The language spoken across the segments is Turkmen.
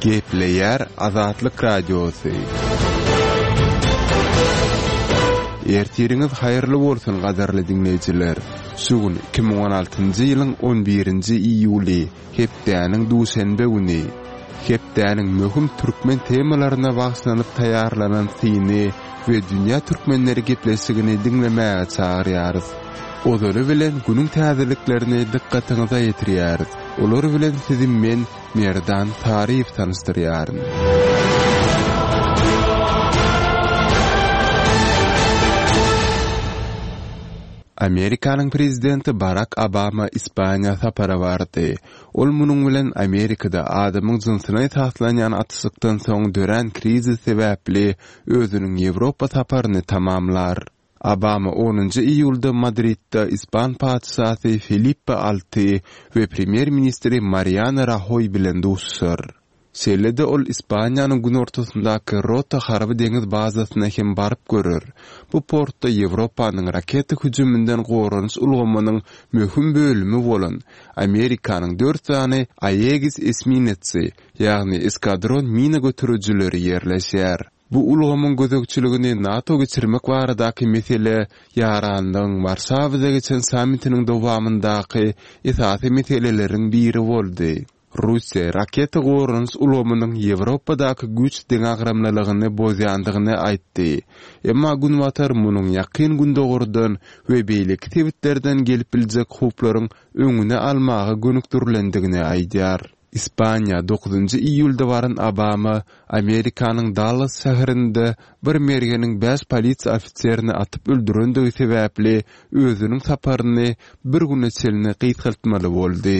Gepleýär Azatlyk Radiosy. Ertiriňiz haýyrly bolsun gadyrly diňleýjiler! Şu gün 2016-njy ýylyň 11-nji iýuly, hepdäniň duşenbe güni. Hepdäniň möhüm türkmen temalaryna bagyşlanyp taýýarlanan syny we Dünýä türkmenleri gepleşigini diňlemäge çagyrýarys. Ozaly bilen günüň täzeliklerini dykgatyňyza ýetirýäris. Olar bilen sizi men, Merdan Saryýew tanyşdyrýaryn. Amerikanyň prezidenti Barak Obama Ispaniýa sapara bardy. Ol munuň bilen Amerikada adamyň jynsyna esaslanýan atyşykdan soň dörän krizis sebäpli özüniň Ýewropa saparyny tamamlar. Obama onunjy iýulda Madridde ispan patyşasy Felipe VI we premýer-ministri Mariano Rahoý bilen duşuşar. Şeýle-de ol Ispaniýanyň günortasyndaky Rota harby-deňiz bazasyna hem baryp görer. Bu portda Ýewropanyň raketa hüjüminden goranyş ulgamynyň möhüm bölümi bolan Amerikanyň dört sany Aegis esminetsi, ýagny eskadron mina göterijileri ýerleşýär. Bu ulgamyň gözegçiligini NATO geçirmek baradaky mesele Ýaranlygyň Warşawada geçen sammitiniň dowamyndaky esasy meseleleriň biri boldy. Russiýa raketa goranyş ulgamynyň Ýewropadaky güýç deňagramlylygyny bozýandygyny aýtdy. Emma Günbatar munuň Ýakyn Gündogardan we beýleki sebitlerden gelip biljek howplaryň öňüni almaga gönükdirilendigini aýdýar. Ispaniýa dokuzynjy iýulda baran Obama Amerikanyň Dallas şäherinde bir mergeniň bäş polisiýa ofiserini atyp öldürendigi sebäpli özüniň saparyny bir güne çenli gysgaltmaly boldy.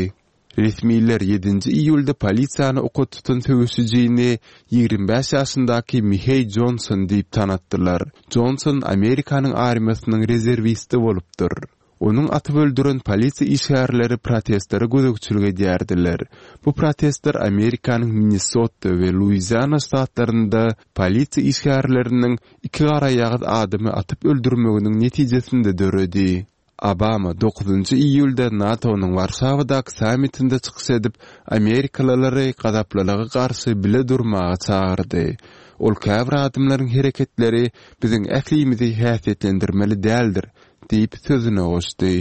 Resmiler ýedinji iýulda polisiýany oka tutan söweşijini 25 ýaşyndaky Miheý Jonson diýip tanatdylar. Jonson Amerikanyň armiýasynyň rezerwisti bolupdyr. Onuň atyp öldüren polisiýa işgärleri protestlere gözegçilik edýärdiler. Bu protestler Amerikanyň Minnesota we Luiziana ştatlarynda polisiýa işgärleriniň iki garaýagyz adamy atyp öldürmeginiň netijesinde döredi. Obama dokuzynjy iýulda NATO-nyň Warşawadaky sammitinde çykyş edip, amerikalylary gazaplylyga garşy bile durmaga çagyrdy. Ol käbir adamlaryň hereketleri biziň ählimizi häsiýetlendirmeli däldir diýip sözüne goşdy.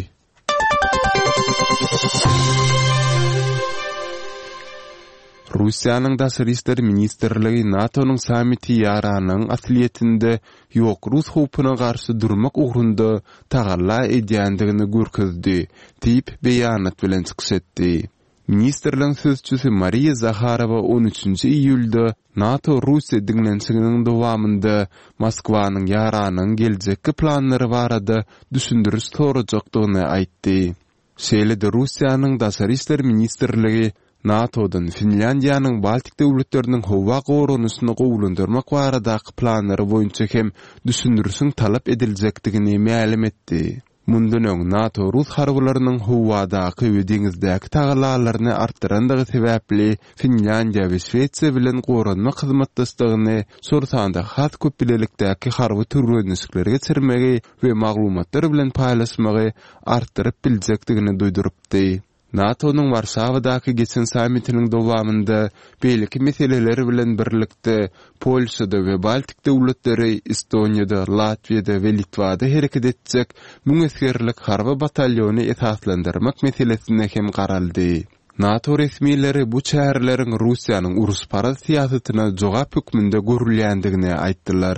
Russiýanyň Daşary işler ministrligi NATO-nyň sammiti ýaranlygyň aslyýetinde ýok rus howpuna garşy durmak ugrunda tagalla edýändigini görkezdi diýip, beýanat bilen çykyş etdi. Ministrligiň sözçüsi Mariýa Zaharowa on üçünji iýulda NATO-Russiýa diňlenişiginiň dowamynda Moskwanyň ýaranlygyň geljekki planlary barada düşündiriş sorajakdygyny aýtdy. Şeýle-de Russiýanyň Daşary işler ministrligi NATO-dan Finlýandiýanyň Baltik döwletleriniň howa goranyşyny gowulandyrmak baradaky planlary boýunça hem düşündirişiň talap ediljekdigini mälim etdi. Mundan öň NATO rus harbylarynyň howadaky we deňizdäki tagallalaryny artdyrandygy sebäpli Finlýandiýa we Şwesiýa bilen goranmak hyzmatdaşlygyny, şol sanda has köp bilelikdäki harby türgenleşikleri geçirmegi we maglumatlar bilen paýlaşmagy artdyryp biljekdigini duýdurypdy. NATO-nyň Warşawadaky geçen sammitiniň dowamynda beýleki meseleler bilen birlikde Polşada we Baltik döwletleri, Estoniýada, Latwiýada we Litwada hereket etjek müň esgerlik harby batalýony esaslandyrmak meselesine hem garaldy. NATO resmileri bu çäreleriň Russiýanyň uruşparaz syýasatyna jogap hökmünde görülýändigini aýtdylar.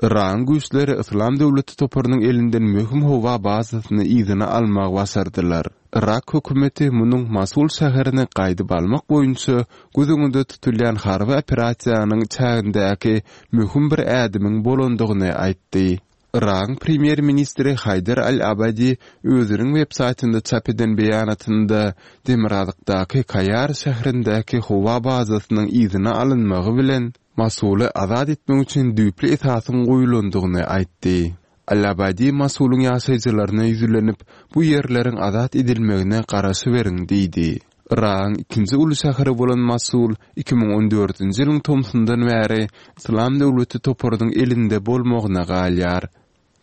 Yragyň güýçleri Yslam döwleti toparynyň elinden möhüm howa bazasyny yzyna almagy başardylar. Yrak hökümeti munuň Mosul şäherini gaýdyp almak boýunça göz öňünde tutulýan harby operasiýanyň çägindäki möhüm bir ädimiň bolandygyny aýtdy. Yragyň premýer-ministri Haýdar al-Abadi özüniň websaýtynda çap eden beýanatynda demirgazykdaky Kaýar şäherindäki howa bazasynyň yzyna alynmagy bilen Mosuly azat etmek üçin düýpli esasyň goýulandygyny aýtdy. Al-Abadi Mosulyň ýaşaýjylaryna ýüzlenip, bu ýerleriň azat edilmegine garaşyberiň diýdi. Yragyň ikinji uly şäheri bolan Mosul 2014-nji ýylyň tomsundan bäri Yslam döwleti toparynyň elinde bolmagyna galýar.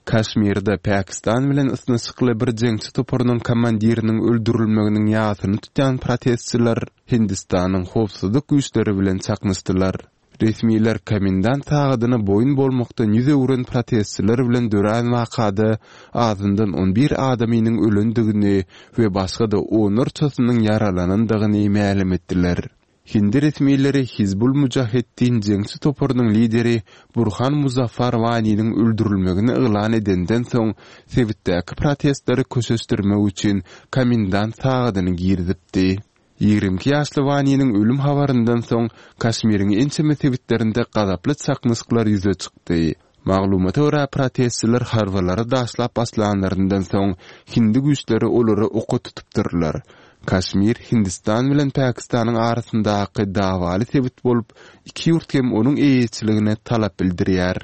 Kaşmirde Pakistan bilen ysnyşykly bir jeňçi toparynyň komandiriniň öldürilmeginiň ýasyny tutýan protestçiler Hindistanyň howpsuzlyk güýçleri bilen çaknyşdylar. Resmiler komendant sagadyna boýun bolmakdan ýüz öwren protestçiler bilen dörän wakada azyndan on bir adamynyň ölendigini we başga-da onlarçasynyň ýaralanandygyny mälim etdiler. Hindi resmileri Hizbul Mujaheddin jeňçi toparynyň lideri Burhan Muzaffar Waniniň öldürilmegini yglan edenden soň, sebitdäki protestleri köşeşdirmek üçin komendant sagadyny girizipdi. 22 ýaşly Waniniň ölüm habaryndan soň, Kaşmiriň ençeme sebitlerinde gazaply çaknyşyklar ýüze çykdy. Maglumata görä, protestçiler harbylara daşlap başlanlaryndan soň, hindi güýçleri olary oka tutupdyrlar. Kaşmir Hindistan bilen Pakistanyň arasyndaky dawaly sebit bolup, iki ýurt hem onuň eýeçiligine talap bildirýär.